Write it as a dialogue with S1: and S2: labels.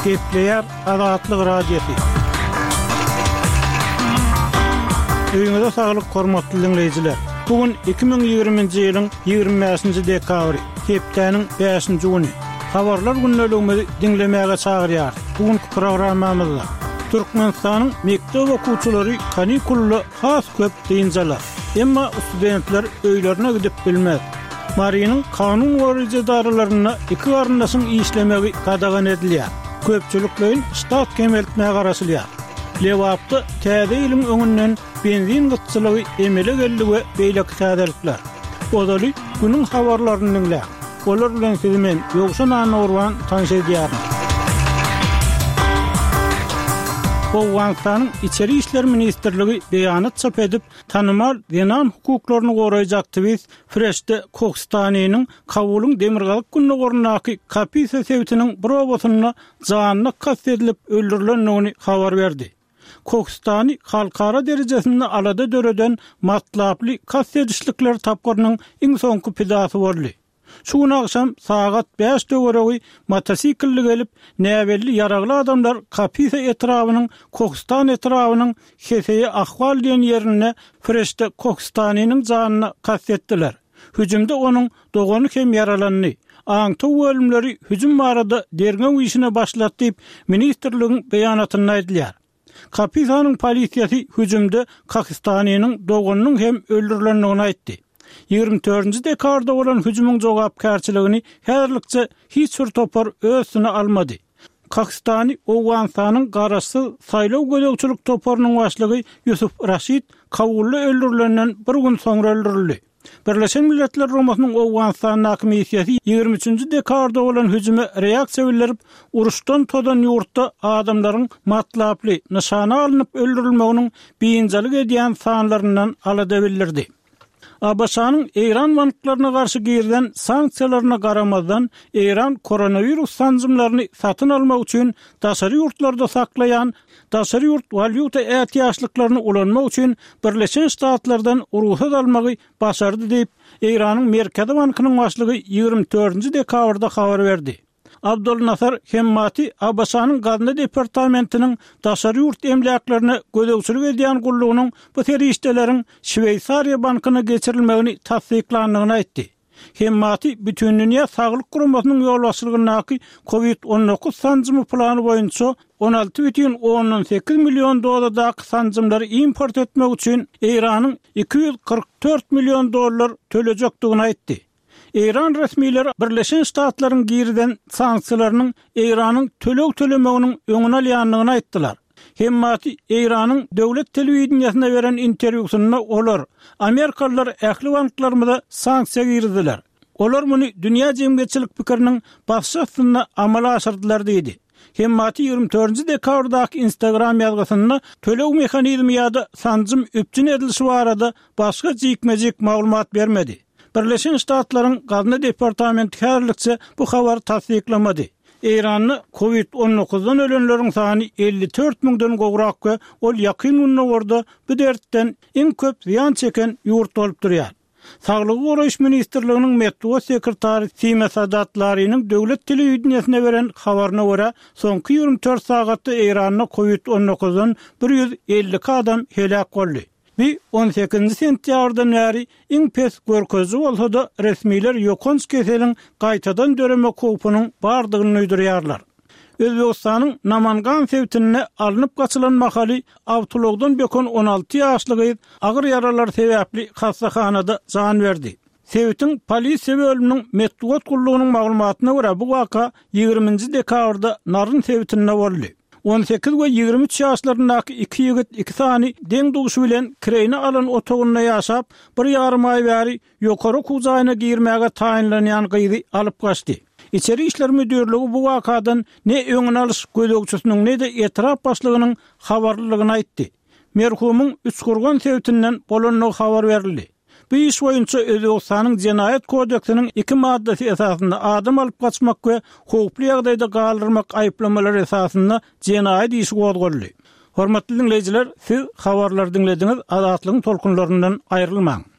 S1: Gepleýär Azatlyk Radiosy. Öýüňize saglyk hormatly diňleýjiler. Bu gün 2020-nji ýylyň 25-nji dekabry, hepdäniň bäşinji güni. Habarlar gündeligimizi diňlemäge çagyrýarys. Bu günki programmamyzda Türkmenistanyň mekdep okuwçylary kanikulda has köp dynç alar. Emma studentler öýlerine gidip bilmez. Marynyň kanun goraýjy edaralarynda iki garyndaşyň işlemegi gadagan edilýär. Köpçülikleýin ştat kemeltmä garaşylýar. Lebapda Täze ýylyň öňünden benzin gytçylygy emele geldi we beýleki täzelikler. Ozaly günüň habarlaryny diňläň. Olar bilen sizi men, Ýowşan Annagurban tanyş edýärin. Owganystanyň Içeri işler ministrligi beýanat çap edip, tanymal zenan hukuklaryny goraýjy aktiwist Freşte Kohstaniniň Kabulyň demirgazyk-gündogaryndaky Kapisa sebitiniň bir obasynda janyna kast edilip öldürilendigini habar berdi. Kohstani halkara derejesinde alada döreden matlaply kast edişlikler tapgyrynyň iň soňky pidasy boldy. Şu gün agşam sagat bäş töweregi motosiklli gelip, näbelli ýaragly adamlar Kapisa etrabynyň Kohstan etrabynyň Heseýe Ahwal diýen ýerinde Freşte Kohstaniniň janyna kast etdiler. Hüjümde onuň dogany hem ýaralandy. Aňtaw bölümleri hüjüm barada derňew işine başlady diýip, ministrligiň beýanatynda aýdylýar. Kapisanyň polisiýasy hüjümde Kahistanynyň doganynyň hem öldürilendigini aýtdy. Ýigrimi dördünji dekabrda bolan hüjümiň jogapkärçiligini häzirlikçe hiç bir topar öz üstüne almady. Kahistany Owganystanyň garaşsyz saýlaw gözegçilik toparynyň başlygy Ýusuf Raşid Kabulda öldürilenden bir gün soňra öldürildi. Birleşen Milletler Guramasynyň Owganystandaky missiýasy ýigrimi üçünji dekabrda bolan hüjüme reaksiýa bildirip, uruşdan tozan ýurtda adamlaryň matlaply, nyşana alnyp öldürilmeginiň biynjalyk edýän sanlaryndan alada bildirdi. ABŞ-nyň Eýran banklaryna garşy girizen sanksiýalaryna garamazdan, Eýran koronawirus sanjymlaryny satyn almak üçin daşary ýurtlarda saklaýan daşary ýurt walýuta ätiýaçlyklaryny ulanmak üçin Birleşen Ştatlardan rugsat almagy başardy diýip, Eýranyň Merkezi bankynyň başlygy ýigrimi dördünji dekabrda habar berdi. Abdolnasar Hemmati ABŞ-nyň Gazna departamentiniň daşary ýurt emläklerine gözegçilik edýän gullugynyň bu serişdeleriň Şweýsariýa bankyna geçirilmegini tassyklandygyny aýtdy. Hemmati Bütindünýä Saglyk Guramasynyň ýolbaşçylygyndaky Covid 19 sanjymy plany boýunça 16,8 million dozadaky sanjymlary import etmek üçin Eýranyň 244 million dollar tölejekdigini aýtdy. Eýran resmileri Birleşen Ştatlaryň girizen sanksiýalarynyň Eýranyň töleg tölemeginiň öňüni alýandygyny aýtdylar. Hemmati Eýranyň döwlet telewideniýesine beren interwýusynda olar, Amerikalylar ähli banklarymyza sanksiýa girizdiler. Olar muny dünýä jemgyýetçilik pikiriniň basyşy astynda amala aşyrdylar diýdi. Hemmati ýigrimi dördünji dekabrdaky Instagram ýazgysynda töleg mehanizmi ýa-da sanjym üpjün edilişi barada başga jikme-jik maglumat bermedi. Birleşen Ştatlaryň Gazna departamenti häzirlikçe bu habary tassyklamady. Eýranda Covid on dokuzdan ölenleriň sany 54 müňden gowrak we ol Ýakyn Gündogarda bu dertden iň köp zyýan çeken ýurt bolup durýar. Saglygy goraýyş ministrliginiň metbugat sekretary Sima Sadat Lariniň döwlet telewideniýesine beren habaryna görä, soňky 24 sagatda Eýranda Covid on dokuzdan 152 adam heläk boldy. Bu on sekizinji sentýabrdan bäri iň pes görkeziji bolsa-da, resmiler ýokanç keseliň gaýtadan döremek howpunyň bardygyny duýdurýarlar. Özbegistanyň Namangan sebitinde alnyp gaçylan mahaly awtoulagdan böken 16 ýaşly gyz agyr ýaralar sebäpli hassahanada jan berdi. Sebitiň polisiýa bölüminiň metbugat gullugynyň maglumatyna görä, bu waka ýigriminji dekabrda Naryn sebitinde boldy. 18 we 23 ýaşlaryndaky iki ýigit iki sany deň-duşy bilen kireýine alan otagynda ýaşap, bir ýarym aý bäri ýokary okuw jaýyna girmäge taýynlanýan gyzy alyp gaçdy. Içeri işler müdirligi bu wakadan ne öňüni alyş gözegçisiniň, ne-de etrap başlygynyň habarlydygyny aýtdy. Merhumyň Üçkurgan sebitinden bolandygy habar berildi. Bu iş boýunça Özbegistanyň Jenaýat kodeksiniň iki maddasy esasynda adam alyp gaçmak we howply ýagdaýda galdyrmak aýyplamalary esasynda jenaýat işi gozgaldy. Hormatly diňleýjiler, siz habarlary diňlediňiz, Azatlygyň tolkunlaryndan aýrylmaň!